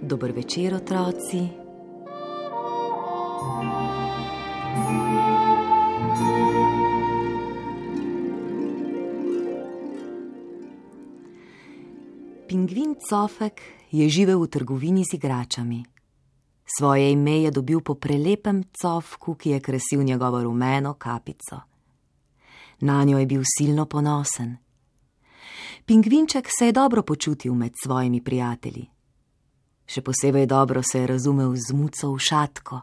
Dober večer, otroci. Pingvin Cofek je živel v trgovini z igračami. Svoje ime je dobil po prelepem cofku, ki je krasil njegovo rumeno kapico. Nanjo je bil silno ponosen. Pingvinček se je dobro počutil med svojimi prijatelji. Še posebej dobro se je razumel z muco Ušatko.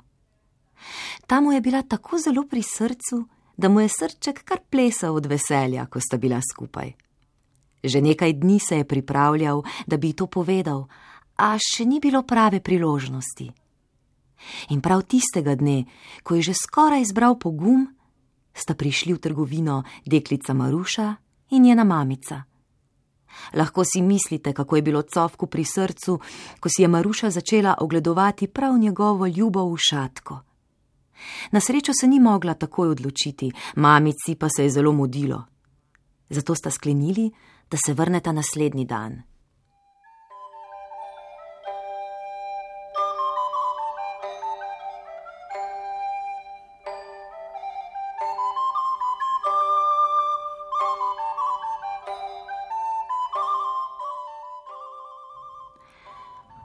Ta mu je bila tako zelo pri srcu, da mu je srček kar plesal od veselja, ko sta bila skupaj. Že nekaj dni se je pripravljal, da bi to povedal, a še ni bilo prave priložnosti. In prav tistega dne, ko je že skoraj zbral pogum, sta prišli v trgovino deklica Maruša in njena mamica. Lahko si mislite, kako je bilo Cofku pri srcu, ko si je Maruša začela ogledovati prav njegovo ljubo Ušatko. Na srečo se ni mogla takoj odločiti, mamici pa se je zelo mudilo. Zato sta sklenili, da se vrneta naslednji dan.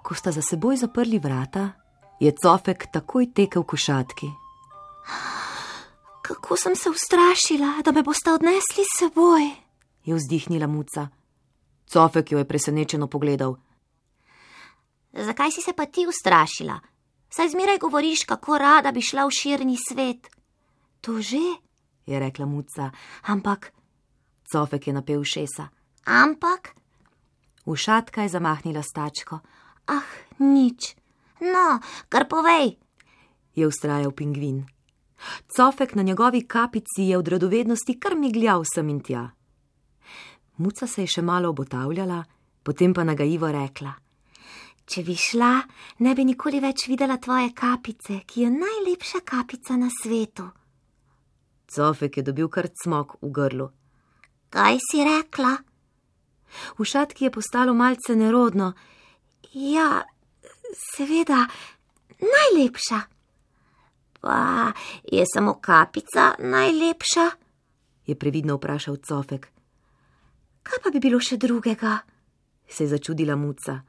Ko sta za seboj zaprli vrata, je Cofek takoj tekel k Ušatki. Kako sem se ustrašila, da me boste odnesli s seboj, je vzdihnila muca. Cofek jo je presenečeno pogledal. Zakaj si se pa ti ustrašila? Saj zmeraj govoriš, kako rada bi šla v širni svet. To že, je rekla muca, ampak... Cofek je napel ušesa. Ampak? Ušatka je zamahnila s tačko. Ah, nič. No, kar povej, je vztrajal pingvin. Cofek na njegovi kapici je od radovednosti kar migljal sem in tja. Muca se je še malo obotavljala, potem pa nagajivo rekla. Če bi šla, ne bi nikoli več videla tvoje kapice, ki je najlepša kapica na svetu. Cofek je dobil kar cmok v grlu. Kaj si rekla? Ušatki je postalo malce nerodno. Ja, seveda, najlepša. Pa je samo kapica najlepša? Je previdno vprašal Cofek. Kaj pa bi bilo še drugega? Se je začudila muca.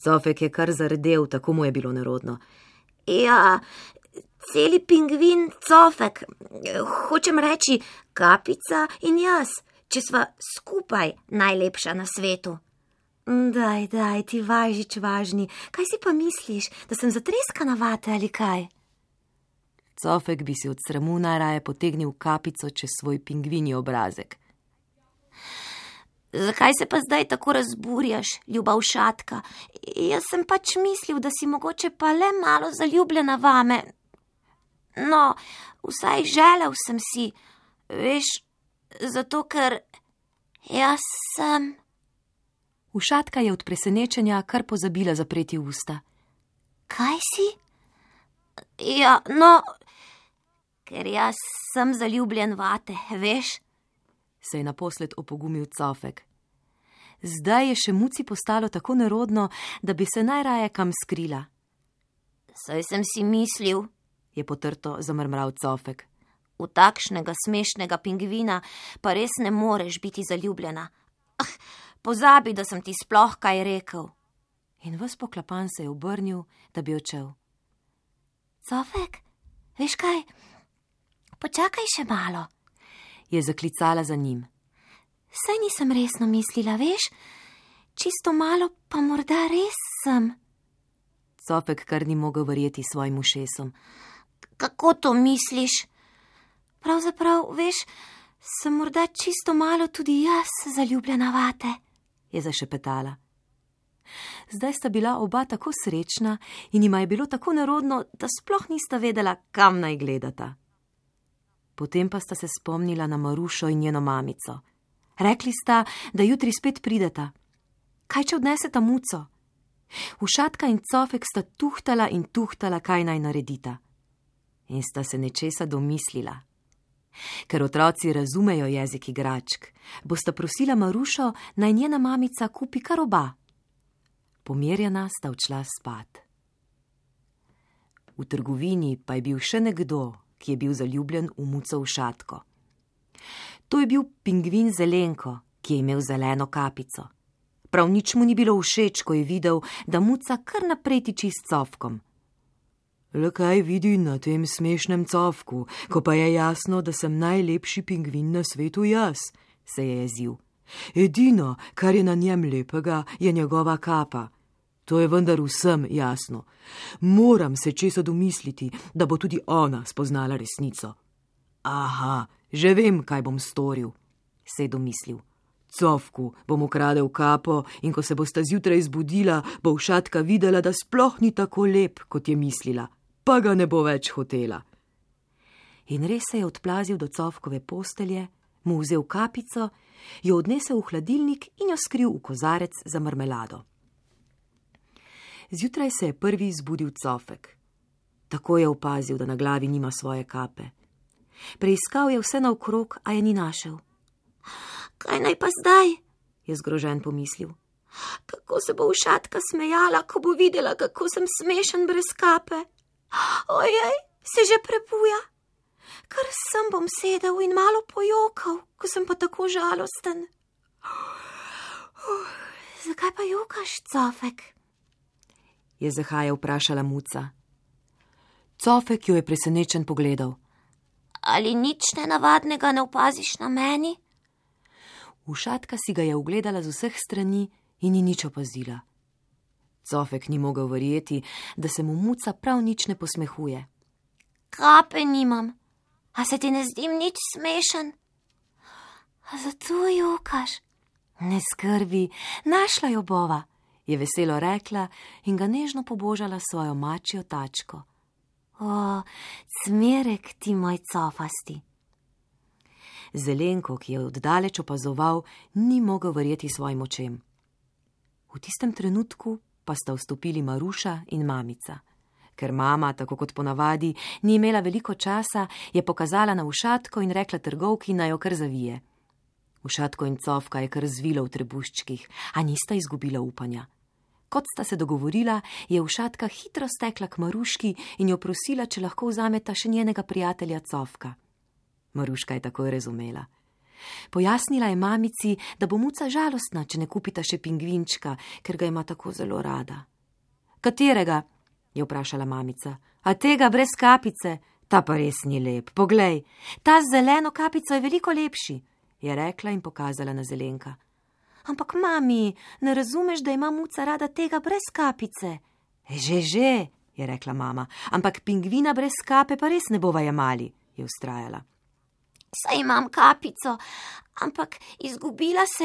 Cofek je kar zardel, tako mu je bilo nerodno. Ja, celi pingvin Cofek, hočem reči kapica in jaz, če sva skupaj najlepša na svetu. Daj, ti važič važni, kaj si pa misliš, da sem zatreska na vate ali kaj? Cofek bi si od sramu najraje potegnil kapico čez svoj pingvinji obrazek. Zakaj se pa zdaj tako razburjaš, ljuba Ušatka? Jaz sem pač mislil, da si mogoče pa le malo zaljubljena vame. No, vsaj želel sem si, veš, zato ker jaz sem... Ušatka je od presenečenja kar pozabila zapreti usta. Kaj si? Ja, no, ker jaz sem zaljubljen vate, veš? Se je naposled opogumil Cofek. Zdaj je še muci postalo tako nerodno, da bi se najraje kam skrila. Saj sem si mislil, je potrto zamrmral Cofek. V takšnega smešnega pingvina pa res ne moreš biti zaljubljena. Pozabi, da sem ti sploh kaj rekel. In ves poklapan se je obrnil, da bi odšel. Cofek, veš kaj? Počakaj še malo, je zaklicala za njim. Saj nisem resno mislila, veš? Čisto malo pa morda res sem. Cofek kar ni mogel verjeti svojim ušesom. Kako to misliš? Pravzaprav, veš, sem morda čisto malo tudi jaz zaljubljena vate, je zašepetala. Zdaj sta bila oba tako srečna in jima je bilo tako nerodno, da sploh nista vedela, kam naj gledata. Potem pa sta se spomnila na Marušo in njeno mamico. Rekli sta, da jutri spet prideta. Kaj če odneseta muco? Ušatka in Cofek sta tuhtala in tuhtala, kaj naj naredita. In sta se nečesa domislila. Ker otroci razumejo jezik igračk, bosta prosila Marušo, naj njena mamica kupi kar oba. Pomirjena sta odšla spat. V trgovini pa je bil še nekdo, ki je bil zaljubljen v muco Ušatko. To je bil pingvin Zelenko, ki je imel zeleno kapico. Prav nič mu ni bilo všeč, ko je videl, da muca kar naprej tiči s cofkom. Le kaj vidi na tem smešnem cofku, ko pa je jasno, da sem najlepši pingvin na svetu jaz, se je jezil. Edino, kar je na njem lepega, je njegova kapa. To je vendar vsem jasno. Moram se česa domisliti, da bo tudi ona spoznala resnico. Aha, že vem, kaj bom storil, se je domislil. Cofku bom ukradel kapo in ko se bosta zjutraj zbudila, bo Ušatka videla, da sploh ni tako lep, kot je mislila, pa ga ne bo več hotela. In res se je odplazil do cofkove postelje, mu vzel kapico, jo odnesel v hladilnik in jo skril v kozarec za marmelado. Zjutraj se je prvi zbudil cofek. Tako je opazil, da na glavi nima svoje kape. Preiskal je vse naokrog, a je ni našel. Kaj naj pa zdaj? Je zgrožen pomislil. Kako se bo Ušatka smejala, ko bo videla, kako sem smešen brez kape? Ojej, se že prebuja. Kar sem bom sedel in malo pojokal, ko sem pa tako žalosten. Zakaj pa jokaš, cofek? Je zahaja vprašala muca. Cofek jo je presenečen pogledal. Ali nič nenavadnega ne opaziš na meni? Ušatka si ga je ugledala z vseh strani in ni nič opazila. Cofek ni mogel verjeti, da se mu muca prav nič ne posmehuje. Kape nimam, a se ti ne zdim nič smešen? A zato jokaš? Ne skrbi, našla jo bova, je veselo rekla in ga nežno pobožala svojo mačjo tačko. O, cmerek ti, moj cofasti. Zelenko, ki je oddaleč opazoval, ni mogel verjeti svojim očem. V tistem trenutku pa sta vstopili Maruša in mamica. Ker mama, tako kot ponavadi, ni imela veliko časa, je pokazala na Ušatko in rekla trgovki, naj jo kar zavije. Ušatko in cofka je kar zvilo v trebuščkih, a nista izgubila upanja. Kot sta se dogovorila, je Ušatka hitro stekla k Maruški in jo prosila, če lahko vzameta še njenega prijatelja cofka. Maruška je takoj razumela. Pojasnila je mamici, da bo muca žalostna, če ne kupita še pingvinčka, ker ga ima tako zelo rada. Katerega? Je vprašala mamica. A tega brez kapice? Ta pa res ni lep. Poglej, ta z zeleno kapico je veliko lepši, je rekla in pokazala na Zelenka. Ampak, mami, ne razumeš, da ima muca rada tega brez kapice? Že, je rekla mama, ampak pingvina brez kape pa res ne bova jemali, je vztrajala. Saj imam kapico, ampak izgubila se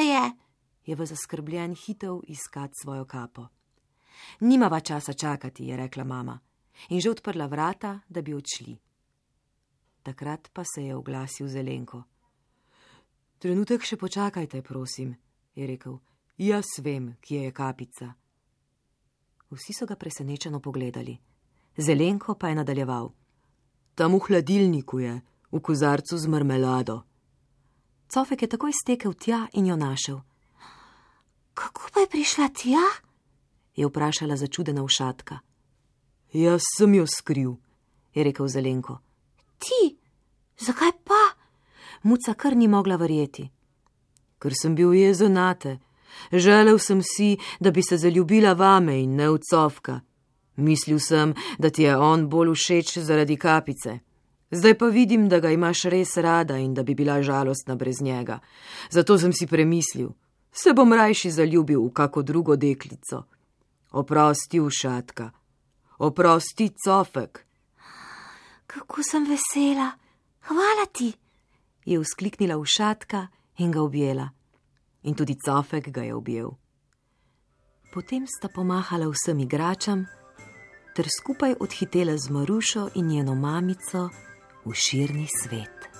je v zaskrbljen hitel iskat svojo kapo. Nimava časa čakati, je rekla mama, in že odprla vrata, da bi odšli. Takrat pa se je oglasil Zelenko. Trenutek še počakajte, prosim, je rekel. Jaz vem, kje je kapica. Vsi so ga presenečeno pogledali. Zelenko pa je nadaljeval. Tam v hladilniku je, v kozarcu z marmelado. Cofek je takoj stekel tja in jo našel. Kako pa je prišla tja? Je vprašala začudena Ušatka. Jaz sem jo skril, je rekel Zelenko. Ti? Zakaj pa? Muca kar ni mogla verjeti. Ker sem bil jezen nate. Želel sem si, da bi se zaljubila vame in ne v cofka. Mislil sem, da ti je on bolj všeč zaradi kapice. Zdaj pa vidim, da ga imaš res rada in da bi bila žalostna brez njega. Zato sem si premislil, se bom rajši zaljubil v kako drugo deklico. Oprosti, Ušatka. Oprosti, cofek. Kako sem vesela. Hvala ti, je vzkliknila Ušatka in ga objela. In tudi cofek ga je objel. Potem sta pomahala vsem igračam ter skupaj odhitela z Marušo in njeno mamico v širni svet.